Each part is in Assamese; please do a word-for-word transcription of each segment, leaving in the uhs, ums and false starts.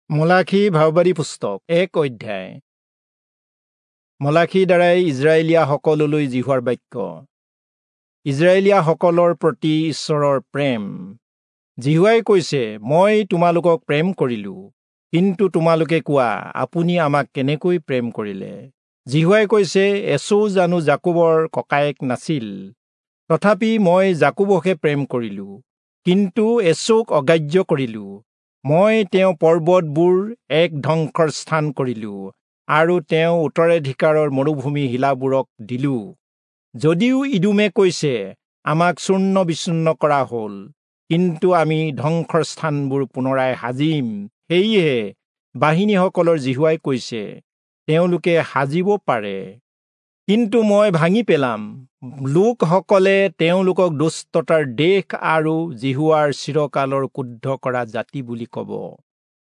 মলাখী ভাওবাদী পুস্তক এক অধ্যায়। মলাখীৰ দ্বাৰাই ইজৰাইলীয়াসকললৈ যিহোৱাৰ বাক্য। ইজৰাইলীয়াসকলৰ প্ৰতি ঈশ্বৰৰ প্ৰেম। যিহোৱাই কৈছে, মই তোমালোকক প্ৰেম কৰিলো, কিন্তু তোমালোকে কোৱা, আপুনি আমাক কেনেকৈ প্ৰেম কৰিলে? যিহোৱাই কৈছে, এচৌ জানো যাকোবৰ ককায়েক নাছিল? তথাপি মই যাকোবকহে প্ৰেম কৰিলো, কিন্তু এচৌক অগ্ৰাহ্য কৰিলো। মই তেওঁ পৰ্বতবোৰ এক ধ্বংসৰ স্থান কৰিলো আৰু তেওঁ উত্তৰাধিকাৰৰ মৰুভূমি শিলাবোৰক দিলো। যদিও ইদোমে কৈছে, আমাক চূৰ্ণ বিচূৰ্ণ কৰা হ'ল, কিন্তু আমি ধ্বংসৰ স্থানবোৰ পুনৰাই সাজিম। সেয়েহে বাহিনীসকলৰ যিহোৱাই কৈছে, তেওঁলোকে সাজিব পাৰে, কিন্তু মই ভাঙি পেলাম। লোকসকলে তেওঁলোকক দুষ্টতাৰ দেশ আৰু যিহোৱাৰ চিৰকালৰ ক্ৰুদ্ধ কৰা জাতি বুলি ক'ব।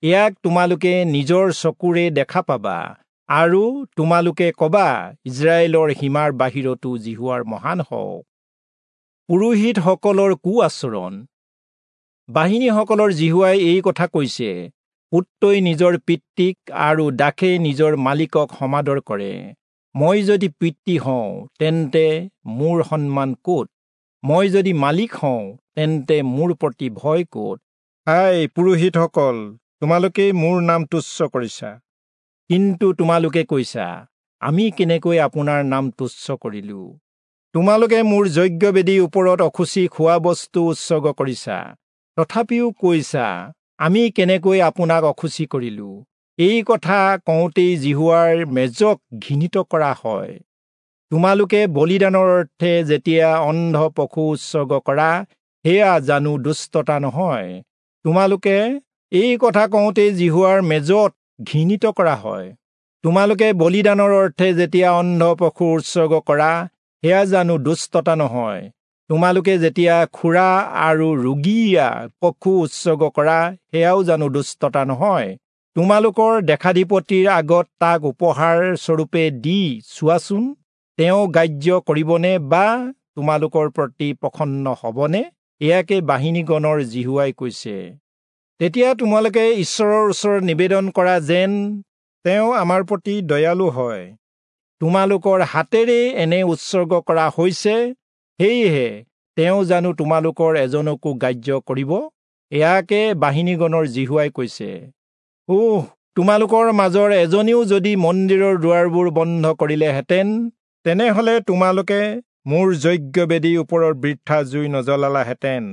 ইয়াক তোমালোকে নিজৰ চকুৰে দেখা পাবা আৰু তোমালোকে ক'বা, ইজৰাইলৰ সীমাৰ বাহিৰতো যিহোৱাৰ মহান হওক। পুৰোহিতসকলৰ কু আচৰণ। বাহিনীসকলৰ যিহোৱাই এই কথা কৈছে, পুত্ৰই নিজৰ পিতৃক আৰু দাসে নিজৰ মালিকক সমাদৰ কৰে। মই যদি পিতৃ হওঁ, তেন্তে মোৰ সন্মান ক'ত? মই যদি মালিক হওঁ, তেন্তে মোৰ প্ৰতি ভয় ক'ত? হায় পুৰোহিতসকল, তোমালোকেই মোৰ নাম তুচ্ছ কৰিছা। কিন্তু তোমালোকে কৈছা, আমি কেনেকৈ আপোনাৰ নাম তুচ্ছ কৰিলো? তোমালোকে মোৰ যজ্ঞবেদীৰ ওপৰত অশুচি খোৱা বস্তু উৎসৰ্গ কৰিছা। তথাপিও কৈছা, আমি কেনেকৈ আপোনাক অশুচি কৰিলো? এই কথা কওঁতেই যিহোৱাৰ মেজক ঘৃণিত কৰা হয়। তোমালোকে বলিদানৰ অৰ্থে যেতিয়া অন্ধ পশু উৎসৰ্গ কৰা, সেয়া জানো দুষ্টতা নহয়? তোমালোকে এই কথা কওঁতেই যিহোৱাৰ মেজত ঘৃণিত কৰা হয়। তোমালোকে বলিদানৰ অৰ্থে যেতিয়া অন্ধ পশু উৎসৰ্গ কৰা, সেয়া জানো দুষ্টতা নহয়? তোমালোকে যেতিয়া খুৰা আৰু ৰুগীয়া পশু উৎসৰ্গ কৰা, সেয়াও জানো দুষ্টতা নহয়? তোমালোকৰ দেশাধিপতিৰ আগত তাক উপহাৰ স্বৰূপে দি চোৱাচোন, তেওঁ গ্ৰাহ্য কৰিবনে বা তোমালোকৰ প্ৰতি প্ৰসন্ন হ'বনে? ইয়াকে বাহিনীগণৰ যিহোৱাই কৈছে। তেতিয়া তোমালোকে ঈশ্বৰৰ ওচৰত নিবেদন কৰা যেন তেওঁ আমাৰ প্ৰতি দয়ালু হয়। তোমালোকৰ হাতেৰে এনে উৎসৰ্গ কৰা হৈছে, সেয়েহে তেওঁ জানো তোমালোকৰ এজনকো গ্ৰাহ্য কৰিব? ইয়াকে বাহিনীগণৰ যিহোৱাই কৈছে। ওহ, তোমালোকৰ মাজৰ এজনেও যদি মন্দিৰৰ দুৱাৰবোৰ বন্ধ কৰিলেহেঁতেন, তেনেহলে তোমালোকে মোৰ যজ্ঞবেদীৰ ওপৰত বৃথা জুই নজ্বলালাহেঁতেন।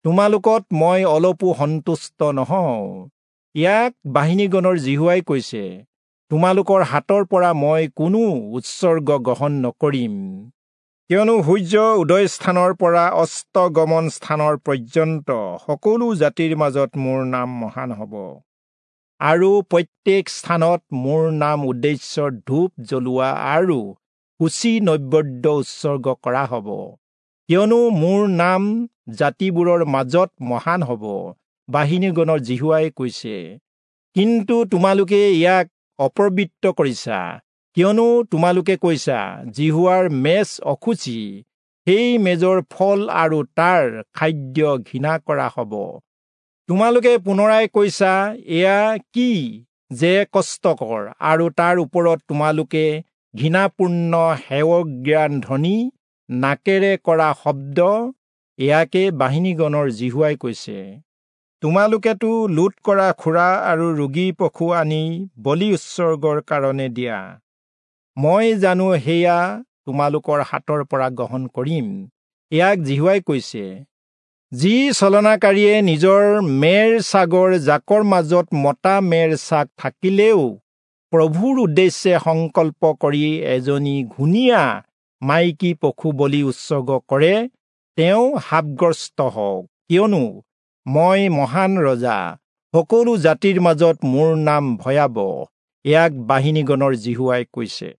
তোমালোকত মই অলপো সন্তুষ্ট নহওঁ। ইয়াক বাহিনীগণৰ যিহোৱাই কৈছে। তোমালোকৰ হাতৰ পৰা মই কোনো উৎসৰ্গ গ্ৰহণ নকৰিম। কিয়নো সূৰ্য উদয় স্থানৰ পৰা অস্তগমন স্থানৰ পৰ্যন্ত সকলো জাতিৰ মাজত মোৰ নাম মহান হ'ব, আৰু প্ৰত্যেক স্থানত মোৰ নাম উদ্দেশ্যৰ ধূপ জ্বলোৱা আৰু শুচি নৈবেদ্য উৎসৰ্গ কৰা হ'ব। কিয়নো মোৰ নাম জাতিবোৰৰ মাজত মহান হ'ব, বাহিনীগণৰ যিহোৱাই কৈছে। কিন্তু তোমালোকে ইয়াক অপবিত্ৰ কৰিছা, কিয়নো তোমালোকে কৈছা, যিহোৱাৰ মেজ অশুচি, সেই মেজৰ ফল আৰু তাৰ খাদ্য ঘৃণা কৰা হ'ব। তোমালোকে পুনৰাই কৈছা, এয়া কি যে কষ্টকৰ, আৰু তাৰ ওপৰত তোমালোকে ঘৃণাপূৰ্ণ হেয়জ্ঞান ধ্বনি, নাকেৰে কৰা শব্দ। ইয়াকে বাহিনীগণৰ যিহোৱাই কৈছে। তোমালোকেতো লুট কৰা খুৰা আৰু ৰোগী পশু আনি বলি উৎসৰ্গৰ কাৰণে দিয়া। মই জানো সেয়া তোমালোকৰ হাতৰ পৰা গ্ৰহণ কৰিম? ইয়াক যিহোৱাই কৈছে। যি ছলনাকাৰীয়ে নিজৰ মেৰ ছাগৰ জাকৰ মাজত মতা মেৰ ছাগ থাকিলেও প্ৰভুৰ উদ্দেশ্যে সংকল্প কৰি এজনী ঘূণীয়া মাইকী পশু বলি উৎসৰ্গ কৰে, তেওঁ শাপগ্ৰস্ত হওক। কিয়নো মই মহান ৰজা, সকলো জাতিৰ মাজত মোৰ নাম ভয়াৱহ। ইয়াক বাহিনীগণৰ যিহোৱাই কৈছে।